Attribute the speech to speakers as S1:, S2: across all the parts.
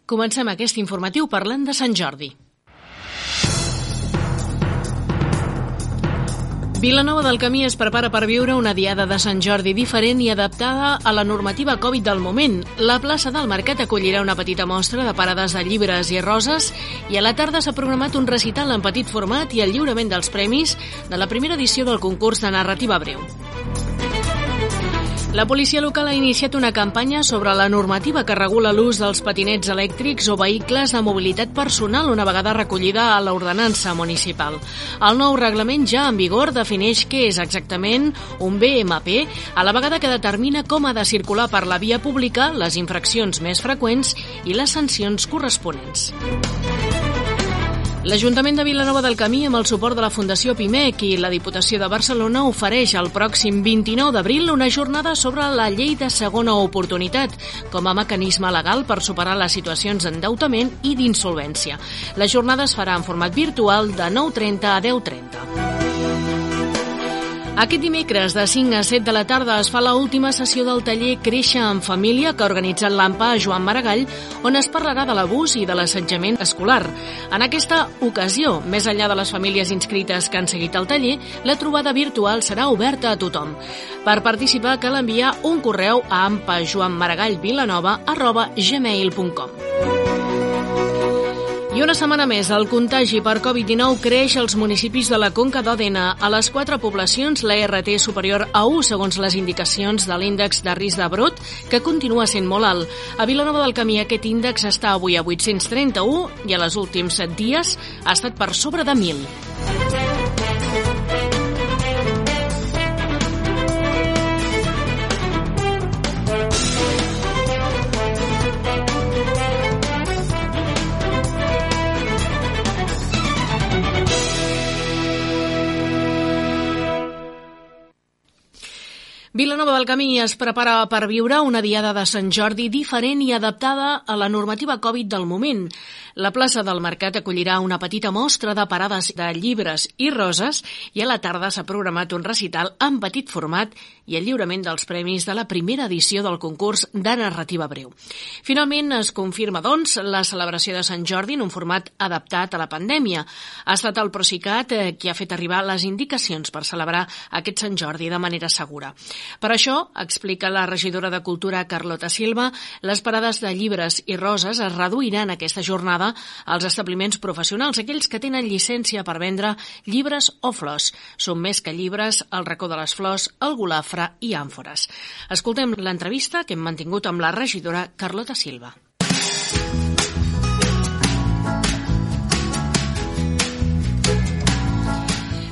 S1: Comencem aquest informatiu parlant de Sant Jordi. Vilanova del Camí es prepara per viure una diada de Sant Jordi diferent i adaptada a la normativa Covid del moment. La plaça del Mercat acollirà una petita mostra de parades de llibres i roses i a la tarda s'ha programat un recital en petit format i el lliurament dels premis de la primera edició del concurs de narrativa breu. La policia local ha iniciat una campanya sobre la normativa que regula l'ús dels patinets elèctrics o vehicles de mobilitat personal una vegada recollida a l'ordenança municipal. El nou reglament ja en vigor defineix què és exactament un BMP, a la vegada que determina com ha de circular per la via pública, les infraccions més freqüents i les sancions corresponents. L'Ajuntament de Vilanova del Camí, amb el suport de la Fundació Pimec i la Diputació de Barcelona, ofereix el pròxim 29 d'abril una jornada sobre la llei de segona oportunitat com a mecanisme legal per superar les situacions d'endeutament i d'insolvència. La jornada es farà en format virtual de 9:30 a 10:30. Aquest dimecres, de 5 a 7 de la tarda, es fa l'última sessió del taller Créixer en Família que ha organitzat l'AMPA a Joan Maragall, on es parlarà de l'abús i de l'assetjament escolar. En aquesta ocasió, més enllà de les famílies inscrites que han seguit el taller, la trobada virtual serà oberta a tothom. Per participar cal enviar un correu a ampajoanmaragallvilanova@gmail.com. I una setmana més, el contagi per Covid-19 creix als municipis de la Conca d'Òdena. A les 4 poblacions, la RT és superior a 1, segons les indicacions de l'índex de risc de brot, que continua sent molt alt. A Vilanova del Camí aquest índex està avui a 831 i a les últims 7 dies ha estat per sobre de 1.000. Vilanova del Camí es prepara per viure una diada de Sant Jordi diferent i adaptada a la normativa Covid del moment. La plaça del Mercat acollirà una petita mostra de parades de llibres i roses i a la tarda s'ha programat un recital en petit format i el lliurament dels premis de la primera edició del concurs de narrativa breu. Finalment es confirma, doncs, la celebració de Sant Jordi en un format adaptat a la pandèmia. Ha estat el Procicat qui ha fet arribar les indicacions per celebrar aquest Sant Jordi de manera segura. Per això, explica la regidora de Cultura Carlota Silva, les parades de llibres i roses es reduiran aquesta jornada als establiments professionals, aquells que tenen llicència per vendre llibres o flors. Són més que llibres, el Racó de les Flors, el Golafre i àmfores. Escoltem l'entrevista que hem mantingut amb la regidora Carlota Silva.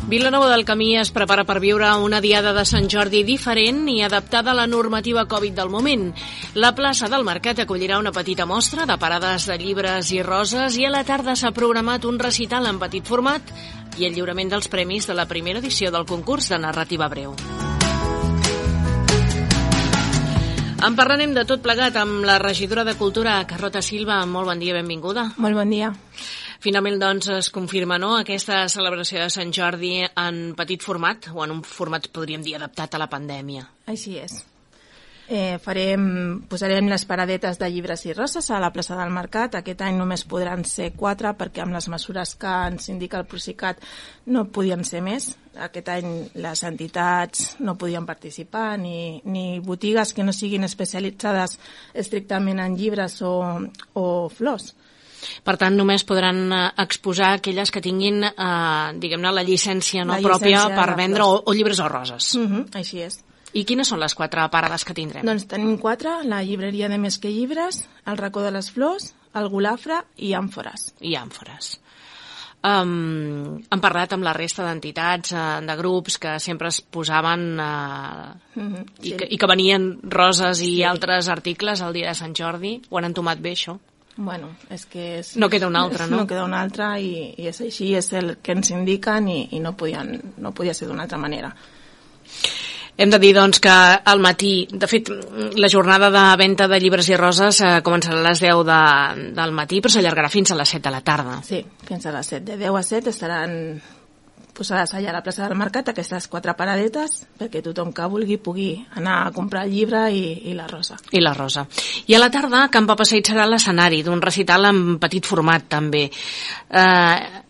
S1: Vilanova del Camí es prepara per viure una diada de Sant Jordi diferent i adaptada a la normativa Covid del moment. La plaça del Mercat acollirà una petita mostra de parades de llibres i roses i a la tarda s'ha programat un recital en petit format i el lliurament dels premis de la primera edició del concurs de narrativa breu. En parlarem de tot plegat amb la regidora de Cultura, Carlota Silva. Molt bon dia, benvinguda.
S2: Molt bon dia.
S1: Finalment, doncs, es confirma, no?, aquesta celebració de Sant Jordi en petit format, o en un format, podríem dir, adaptat a la pandèmia.
S2: Així és. Posarem les paradetes de llibres i roses a la plaça del Mercat. Aquest any només podran ser 4 perquè amb les mesures que ens indica el Procicat no podien ser més. Aquest any les entitats no podien participar, ni botigues que no siguin especialitzades estrictament en llibres o flors.
S1: Per tant, només podran exposar aquelles que tinguin, diguem-ne, la llicència pròpia per vendre o llibres o roses.
S2: Així és.
S1: I quines són les 4 parades que tindrem?
S2: Doncs tenim 4, la llibreria de Més que Llibres, el Racó de les Flors, el Golafre i àmfores.
S1: Han parlat amb la resta d'entitats, de grups que sempre es posaven i que venien roses i altres articles el dia de Sant Jordi. Ho han entomat bé, això?
S2: Bueno, és que...
S1: No queda una altra, no?
S2: No queda una altra i és així, és el que ens indiquen i no podia ser d'una altra manera.
S1: Hem de dir, doncs, que al matí, de fet, la jornada de venda de llibres i roses començarà a les 10 del matí, però s'allargarà fins a les 7 de la tarda.
S2: Sí, fins a les 7. De 10 a 7 estaran allà a la plaça del Mercat aquestes 4 paradetes perquè tothom que vulgui pugui anar a comprar el llibre i la rosa.
S1: I la rosa. I a la tarda, Can Papaseit serà l'escenari d'un recital en petit format, també.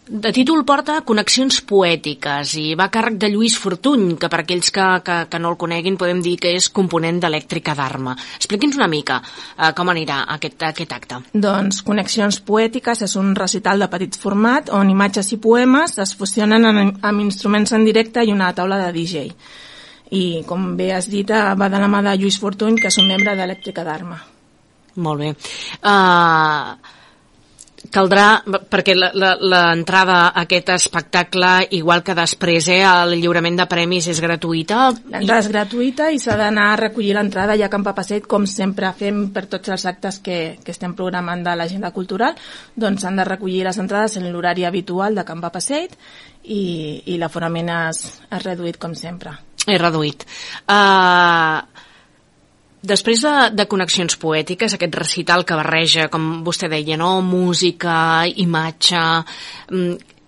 S1: De títol porta Connexions poètiques i va a càrrec de Lluís Fortuny, que per aquells que no el coneguin podem dir que és component d'Elèctrica d'Arma. Expliqui'ns una mica com anirà aquest acte.
S2: Doncs Connexions poètiques és un recital de petit format on imatges i poemes es fusionen amb instruments en directe i una taula de DJ. I, com bé has dit, va de la mà de Lluís Fortuny, que és un membre d'Elèctrica d'Arma.
S1: Molt bé. Caldrà, perquè l'entrada a aquest espectacle, igual que després, el lliurament de premis és gratuïta?
S2: L'entrada és gratuïta i s'ha d'anar a recollir l'entrada ja a Can Papaseit, com sempre fem per tots els actes que estem programant de l'agenda cultural, doncs s'han de recollir les entrades en l'horari habitual de Can Papaseit i l'aforament és reduït com sempre.
S1: És reduït. Després de Connexions poètiques, aquest recital que barreja, com vostè deia, no? Música, imatge,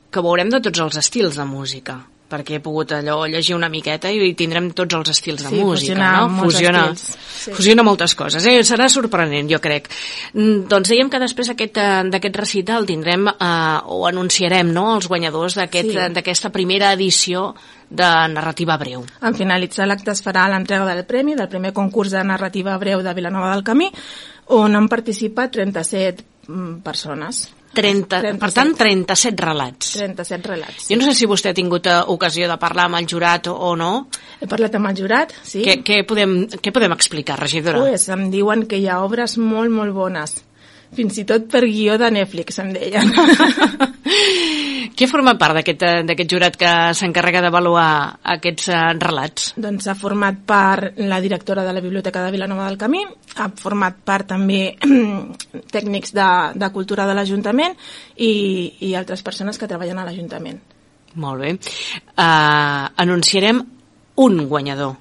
S1: que veurem de tots els estils de música, perquè he pogut llegir una miqueta i tindrem tots els estils de música, no? Fusiona moltes coses. Serà sorprenent, jo crec. Doncs dèiem que després d'aquest recital tindrem o anunciarem, no?, els guanyadors d'aquesta primera edició de narrativa breu.
S2: En finalitzar l'acte es farà l'entrega del premi del primer concurs de narrativa breu de Vilanova del Camí, on han participat 37 persones.
S1: Per tant, 37 relats.
S2: 37 relats.
S1: Jo no sé si vostè ha tingut ocasió de parlar amb el jurat o no.
S2: He parlat amb el jurat, sí.
S1: Què podem explicar, regidora?
S2: Pues em diuen que hi ha obres molt, molt bones. Fins i tot per guió de Netflix, em deien.
S1: Què forma part d'aquest jurat que s'encarrega d'avaluar aquests relats?
S2: Doncs ha format part la directora de la Biblioteca de Vilanova del Camí, ha format part també tècnics de cultura de l'Ajuntament i altres persones que treballen a l'Ajuntament.
S1: Molt bé. Anunciarem un guanyador.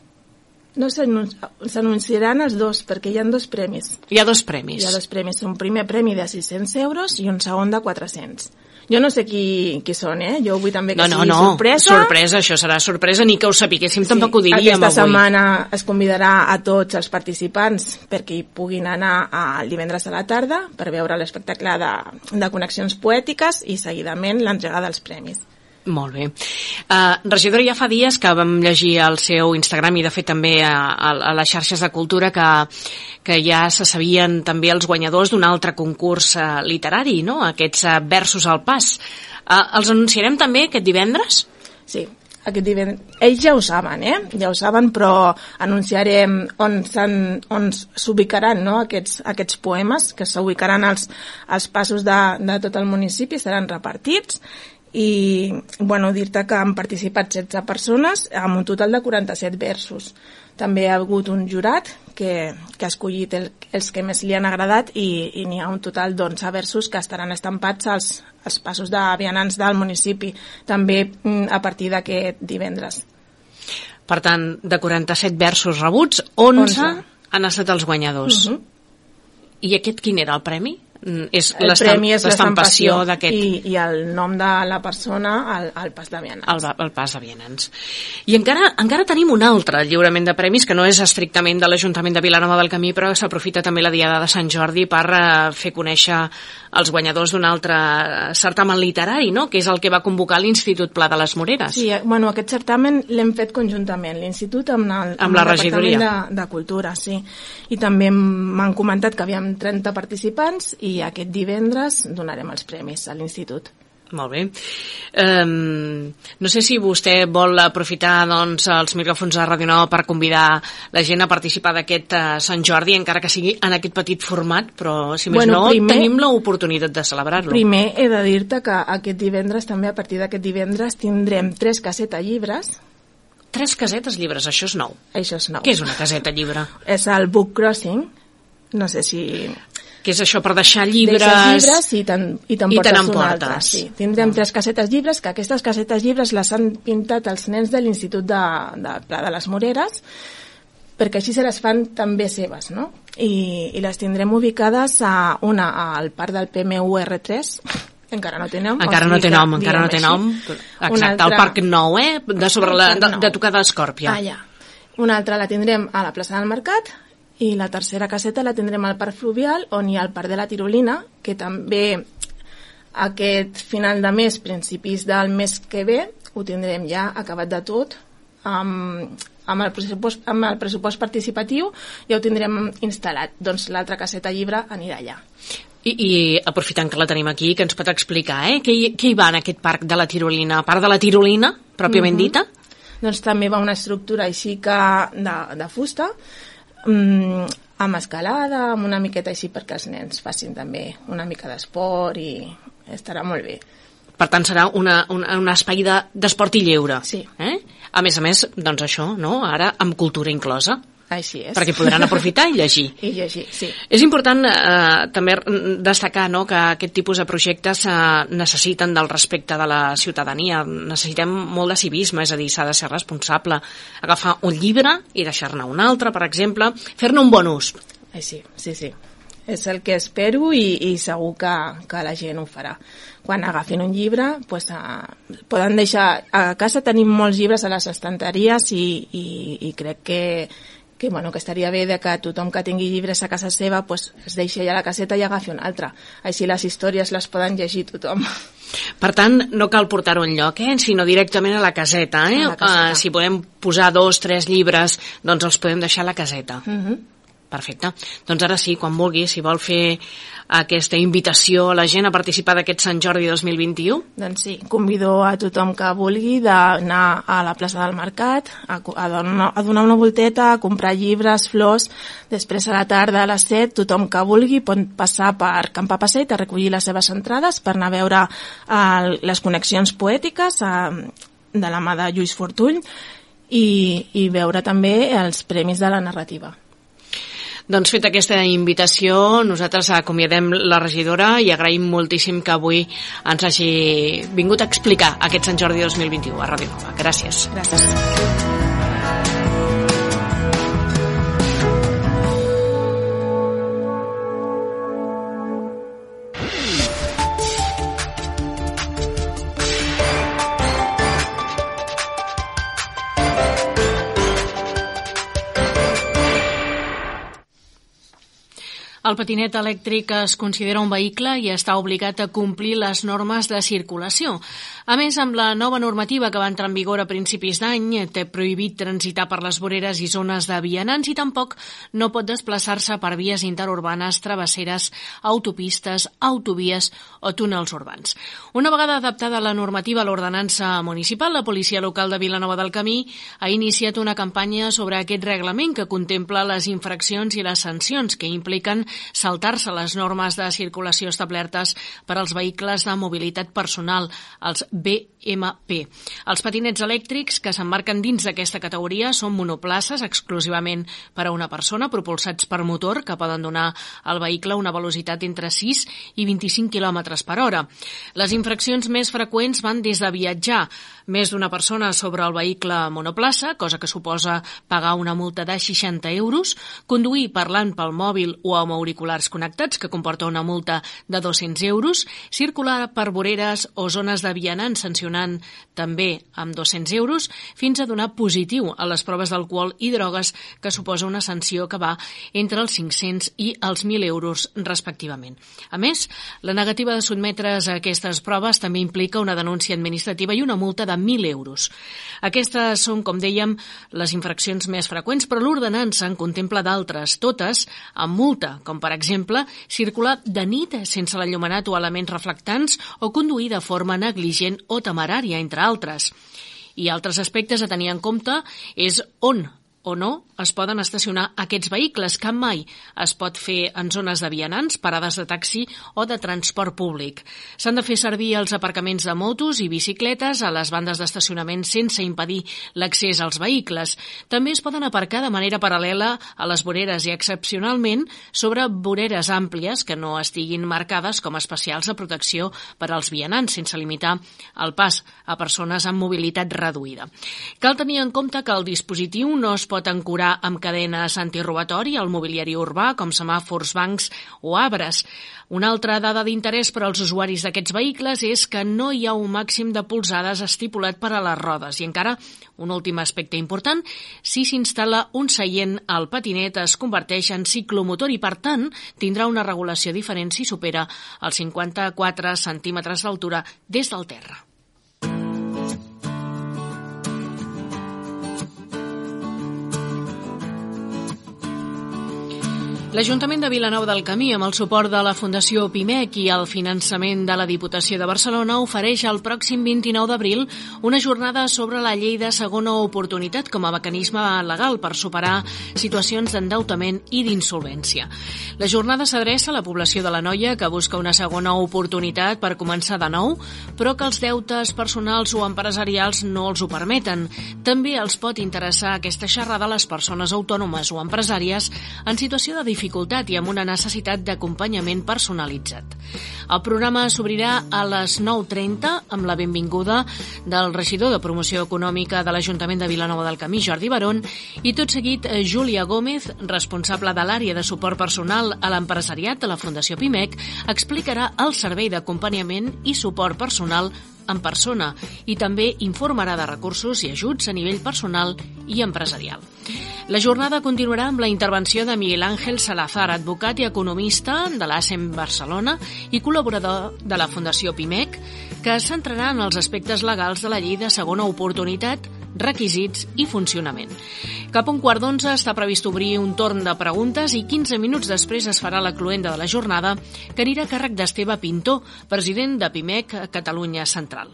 S2: No, s'anunciaran els dos, perquè hi ha 2 premis.
S1: Hi ha 2 premis.
S2: Hi ha 2 premis. Un primer premi de 600 euros i un segon de 400. Jo no sé qui són, Jo vull també que sigui sorpresa.
S1: Sorpresa, això serà sorpresa, ni que ho sapiguéssim, tampoc ho diríem avui.
S2: Aquesta setmana es convidarà a tots els participants perquè hi puguin anar el divendres a la tarda per veure l'espectacle de Connexions poètiques i seguidament l'entrega dels premis.
S1: Molt bé. Regidora, ja fa dies que vam llegir al seu Instagram i de fet també a les xarxes de cultura que ja se sabien també els guanyadors d'un altre concurs literari, no? Aquests versos al pas. Els anunciarem també aquest divendres?
S2: Sí, aquest divendres. Ells ja ho saben, Ja ho saben, però anunciarem on s'ubicaran, no? Aquests poemes, que s'ubicaran als passos de tot el municipi, seran repartits. I, dir-te que han participat 16 persones amb un total de 47 versos. També ha hagut un jurat que ha escollit els que més li han agradat i n'hi ha un total d'11 versos que estaran estampats als passos de vianants del municipi, també a partir d'aquest divendres.
S1: Per tant, de 47 versos rebuts, 11 han estat els guanyadors. I aquest quin era el premi? És
S2: el premi és l'estampació
S1: d'aquest...
S2: I el nom de la persona al pas de vianants.
S1: El pas de vianants. I encara tenim un altre lliurament de premis que no és estrictament de l'Ajuntament de Vilanova del Camí, però s'aprofita també la Diada de Sant Jordi per fer conèixer els guanyadors d'un altre certamen literari, no?, que és el que va convocar l'Institut Pla de les Moreres.
S2: Sí, aquest certamen l'hem fet conjuntament, l'Institut amb la
S1: regidoria
S2: de Cultura, sí. I també m'han comentat que havíem 30 participants i aquest divendres donarem els premis a l'Institut.
S1: Molt bé. No sé si vostè vol aprofitar els micròfons de Ràdio Nova per convidar la gent a participar d'aquest Sant Jordi, encara que sigui en aquest petit format, però si més tenim l'oportunitat de celebrar-lo.
S2: Primer he de dir-te que aquest divendres, també a partir d'aquest divendres, tindrem 3 casetes llibres.
S1: 3 casetes llibres, això és nou.
S2: Això és nou.
S1: Què és una caseta llibre?
S2: És el Book Crossing, no sé si...
S1: Que és això per deixar llibres...
S2: Deixes llibres i t'emportes un altre. Sí. Tindrem 3 casetes llibres, que aquestes casetes llibres les han pintat els nens de l'Institut de Pla de les Moreres, perquè així se les fan també seves, no? I les tindrem ubicades una al parc del PMUR3, Encara no té nom.
S1: Encara no té nom. Exacte, el Parc Nou, de tocar d'Escòrpia.
S2: Una altra la tindrem a la plaça del Mercat i la tercera caseta la tindrem al Parc Fluvial, on hi ha el Parc de la Tirolina, que també aquest final de mes, principis del mes que ve, ho tindrem ja acabat de tot, amb el pressupost participatiu ja ho tindrem instal·lat. Doncs l'altra caseta llibre anirà allà.
S1: I aprofitant que la tenim aquí, que ens pot explicar, què hi va en aquest Parc de la Tirolina? A part de la tirolina, pròpiament dita?
S2: Doncs també va una estructura així que de fusta, amb escalada, amb una miqueta així perquè els nens facin també una mica d'esport i estarà molt bé.
S1: Per tant, serà un espai d'esport i lleure.
S2: Sí.
S1: A més, doncs això, no? Ara amb cultura inclosa.
S2: Així és.
S1: Perquè podran aprofitar i llegir.
S2: I llegir, sí.
S1: És important també destacar que aquest tipus de projectes necessiten del respecte de la ciutadania. Necessitem molt de civisme, és a dir, s'ha de ser responsable. Agafar un llibre i deixar-ne un altre, per exemple, fer-ne un bon ús.
S2: Sí. És el que espero i segur que la gent ho farà. Quan agafin un llibre, poden deixar... A casa tenim molts llibres a les estanteries i crec que estaria bé que tothom que tingui llibres a casa seva es deixi allà a la caseta i agafi un altre. Així les històries les poden llegir tothom.
S1: Per tant, no cal portar-ho enlloc, sinó directament a la caseta. A la caseta. Si podem posar 2 o 3 llibres, doncs els podem deixar a la caseta. Perfecte. Doncs ara sí, quan vulgui, si vol fer aquesta invitació a la gent a participar d'aquest Sant Jordi 2021.
S2: Doncs sí, convido a tothom que vulgui d'anar a la plaça del Mercat, a donar una volteta, a comprar llibres, flors. Després a la tarda a les 7, tothom que vulgui pot passar per Camp Passeig a recollir les seves entrades per anar a veure les connexions poètiques de la mà de Lluís Fortuny i veure també els premis de la narrativa.
S1: Doncs feta aquesta invitació, nosaltres acomiadem la regidora i agraïm moltíssim que avui ens hagi vingut a explicar aquest Sant Jordi 2021 a Ràdio Nova. Gràcies.
S2: Gràcies.
S1: El patinet elèctric es considera un vehicle i està obligat a complir les normes de circulació. A més, amb la nova normativa que va entrar en vigor a principis d'any, té prohibit transitar per les voreres i zones de vianants i tampoc no pot desplaçar-se per vies interurbanes, travesseres, autopistes, autovies o túnels urbans. Una vegada adaptada la normativa a l'ordenança municipal, la policia local de Vilanova del Camí ha iniciat una campanya sobre aquest reglament que contempla les infraccions i les sancions que impliquen saltar-se les normes de circulació establertes per als vehicles de mobilitat personal, els BMP. Els patinets elèctrics que s'emmarquen dins d'aquesta categoria són monoplaces exclusivament per a una persona, propulsats per motor, que poden donar al vehicle una velocitat entre 6 i 25 km per hora. Les infraccions més freqüents van des de viatjar més d'una persona sobre el vehicle monoplaça, cosa que suposa pagar una multa de 60 euros, conduir parlant pel mòbil o amb auriculars connectats, que comporta una multa de 200 euros, circular per voreres o zones de vianants sancionant també amb 200 euros, fins a donar positiu a les proves d'alcohol i drogues, que suposa una sanció que va entre els 500 i els 1.000 euros respectivament. A més, la negativa de sotmetre's a aquestes proves també implica una denúncia administrativa i una multa de 1.000 euros. Aquestes són, com dèiem, les infraccions més freqüents, però l'ordenança en contempla d'altres, totes amb multa, com per exemple circular de nit sense l'enllumenat o elements reflectants o conduir de forma negligent o temerària, entre altres. I altres aspectes a tenir en compte és on o no es poden estacionar aquests vehicles, que mai es pot fer en zones de vianants, parades de taxi o de transport públic. S'han de fer servir els aparcaments de motos i bicicletes a les bandes d'estacionament sense impedir l'accés als vehicles. També es poden aparcar de manera paral·lela a les voreres i, excepcionalment, sobre voreres àmplies que no estiguin marcades com especials de protecció per als vianants, sense limitar el pas a persones amb mobilitat reduïda. Cal tenir en compte que el dispositiu no es pot pot ancorar amb cadenes antirobatori al mobiliari urbà, com semàfors, bancs o arbres. Una altra dada d'interès per als usuaris d'aquests vehicles és que no hi ha un màxim de polzades estipulat per a les rodes. I encara, un últim aspecte important, si s'instal·la un seient, el patinet es converteix en ciclomotor i, per tant, tindrà una regulació diferent si supera els 54 centímetres d'altura des del terra. L'Ajuntament de Vilanova del Camí, amb el suport de la Fundació PIMEC i el finançament de la Diputació de Barcelona, ofereix el pròxim 29 d'abril una jornada sobre la llei de segona oportunitat com a mecanisme legal per superar situacions d'endeutament i d'insolvència. La jornada s'adreça a la població de l'Anoia que busca una segona oportunitat per començar de nou, però que els deutes personals o empresarials no els ho permeten. També els pot interessar aquesta xerrada a les persones autònomes o empresàries en situació de dificultat i amb una necessitat d'acompanyament personalitzat. El programa s'obrirà a les 9:30 amb la benvinguda del regidor de Promoció Econòmica de l'Ajuntament de Vilanova del Camí, Jordi Barón, i tot seguit Júlia Gómez, responsable de l'àrea de suport personal a l'empresariat de la Fundació PIMEC, explicarà el servei d'acompanyament i suport personal en persona i també informarà de recursos i ajuts a nivell personal i empresarial. La jornada continuarà amb la intervenció de Miguel Ángel Salazar, advocat i economista de l'ASEM Barcelona i col·laborador de la Fundació PIMEC, que es centrarà en els aspectes legals de la llei de segona oportunitat, requisits i funcionament. Cap a 11:15 està previst obrir un torn de preguntes i 15 minuts després es farà la cloenda de la jornada, que anirà a càrrec d'Esteve Pintó, president de PIMEC Catalunya Central.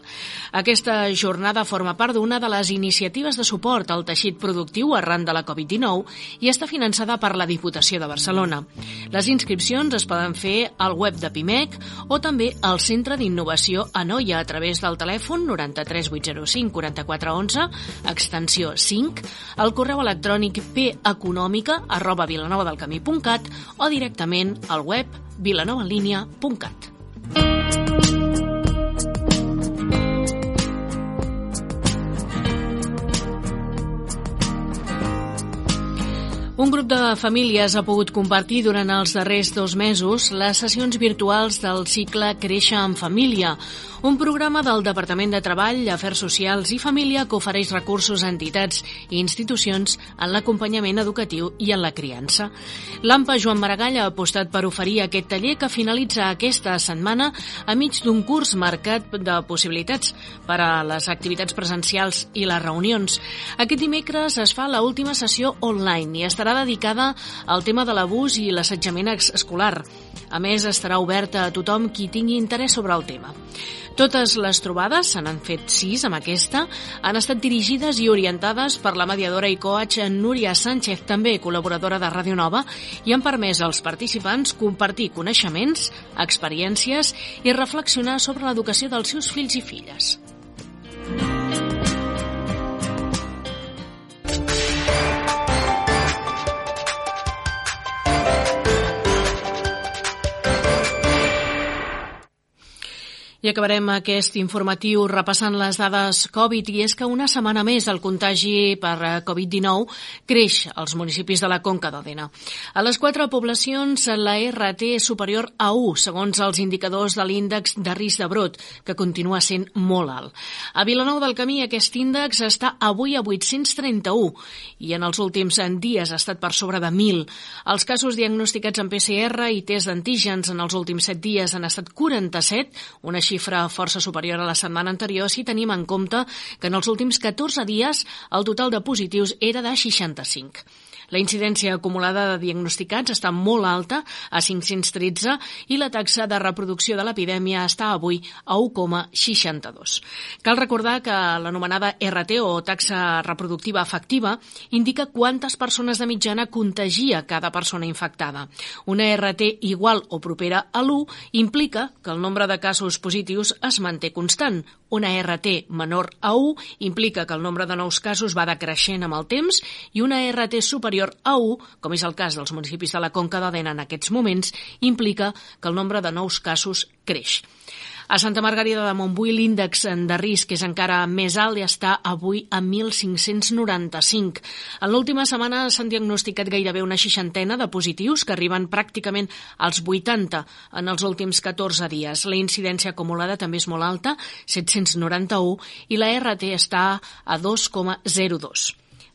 S1: Aquesta jornada forma part d'una de les iniciatives de suport al teixit productiu arran de la Covid-19 i està finançada per la Diputació de Barcelona. Les inscripcions es poden fer al web de PIMEC o també al Centre d'Innovació Anoia a través del telèfon 93 805 44 11, extensió 5, al correu electrònic peconomica@vilanova-del-camí.cat o directament al web vilanovaenlinea.cat. Un grup de famílies ha pogut compartir durant els darrers 2 mesos les sessions virtuals del cicle Créixer en Família, un programa del Departament de Treball, Afers Socials i Família que ofereix recursos a entitats i institucions en l'acompanyament educatiu i en la criança. L'AMPA Joan Maragall ha apostat per oferir aquest taller que finalitza aquesta setmana a mig d'un curs marcat de possibilitats per a les activitats presencials i les reunions. Aquest dimecres es fa l'última sessió online i estarà dedicada al tema de l'abús i l'assetjament escolar. A més, estarà oberta a tothom qui tingui interès sobre el tema. Totes les trobades, se n'han fet 6 amb aquesta, han estat dirigides i orientades per la mediadora i coach Núria Sánchez, també col·laboradora de Ràdio Nova, i han permès als participants compartir coneixements, experiències i reflexionar sobre l'educació dels seus fills i filles. I acabarem aquest informatiu repassant les dades Covid, i és que una setmana més el contagi per Covid-19 creix als municipis de la Conca d'Òdena. A les 4 poblacions la RT és superior a 1, segons els indicadors de l'índex de risc de brot, que continua sent molt alt. A Vilanova del Camí aquest índex està avui a 831 i en els últims dies ha estat per sobre de 1.000. Els casos diagnosticats en PCR i test d'antígens en els últims 7 dies han estat 47, una xifra força superior a la setmana anterior si tenim en compte que en els últims 14 dies el total de positius era de 65. La incidència acumulada de diagnosticats està molt alta, a 513, i la taxa de reproducció de l'epidèmia està avui a 1,62. Cal recordar que l'anomenada RT, o taxa reproductiva efectiva, indica quantes persones de mitjana contagia cada persona infectada. Una RT igual o propera a l'1 implica que el nombre de casos positius es manté constant. Una RT menor a 1 implica que el nombre de nous casos va decreixent amb el temps, i una RT superior a 1, com és el cas dels municipis de la Conca d'Òdena en aquests moments, implica que el nombre de nous casos creix. A Santa Margarida de Montbui l'índex de risc és encara més alt i està avui a 1.595. En l'última setmana s'han diagnosticat gairebé una 60 de positius que arriben pràcticament als 80 en els últims 14 dies. La incidència acumulada també és molt alta, 791, i la RT està a 2,02.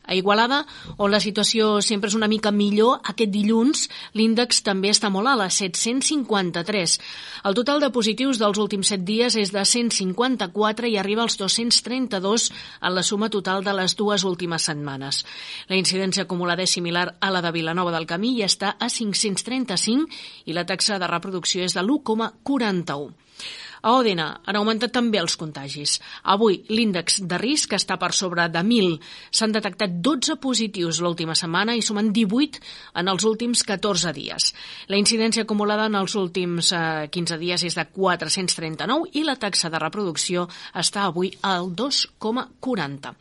S1: A Igualada, on la situació sempre és una mica millor, aquest dilluns l'índex també està molt alt, a 753. El total de positius dels últims 7 dies és de 154 i arriba als 232 en la suma total de les 2 últimes setmanes. La incidència acumulada és similar a la de Vilanova del Camí i està a 535 i la taxa de reproducció és de l'1,41. A Òdena han augmentat també els contagis. Avui l'índex de risc està per sobre de 1.000. S'han detectat 12 positius l'última setmana i sumen 18 en els últims 14 dies. La incidència acumulada en els últims 15 dies és de 439 i la taxa de reproducció està avui al 2,40.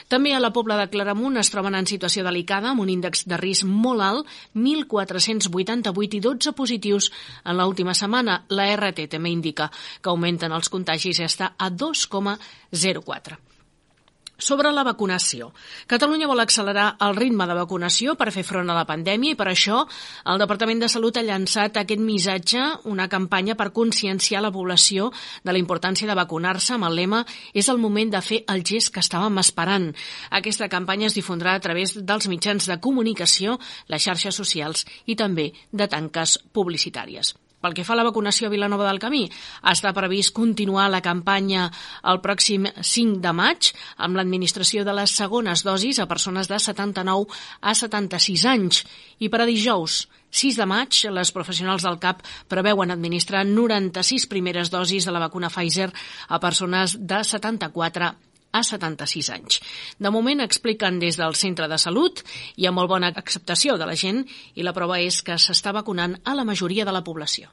S1: També a la Pobla de Claramunt es troben en situació delicada amb un índex de risc molt alt, 1.488 i 12 positius en l'última setmana. La RT també indica que augmenten els contagis i està a 2,04. Sobre la vacunació. Catalunya vol accelerar el ritme de vacunació per fer front a la pandèmia i per això el Departament de Salut ha llançat aquest missatge, una campanya per conscienciar la població de la importància de vacunar-se amb el lema "És el moment de fer el gest que estàvem esperant". Aquesta campanya es difondrà a través dels mitjans de comunicació, les xarxes socials i també de tanques publicitàries. Pel que fa a la vacunació a Vilanova del Camí, està previst continuar la campanya el pròxim 5 de maig amb l'administració de les segones dosis a persones de 79 a 76 anys. I per a dijous, 6 de maig, les professionals del CAP preveuen administrar 96 primeres dosis de la vacuna Pfizer a persones de 74 a 76 anys. De moment expliquen des del centre de salut i amb molt bona acceptació de la gent i la prova és que s'està vacunant a la majoria de la població.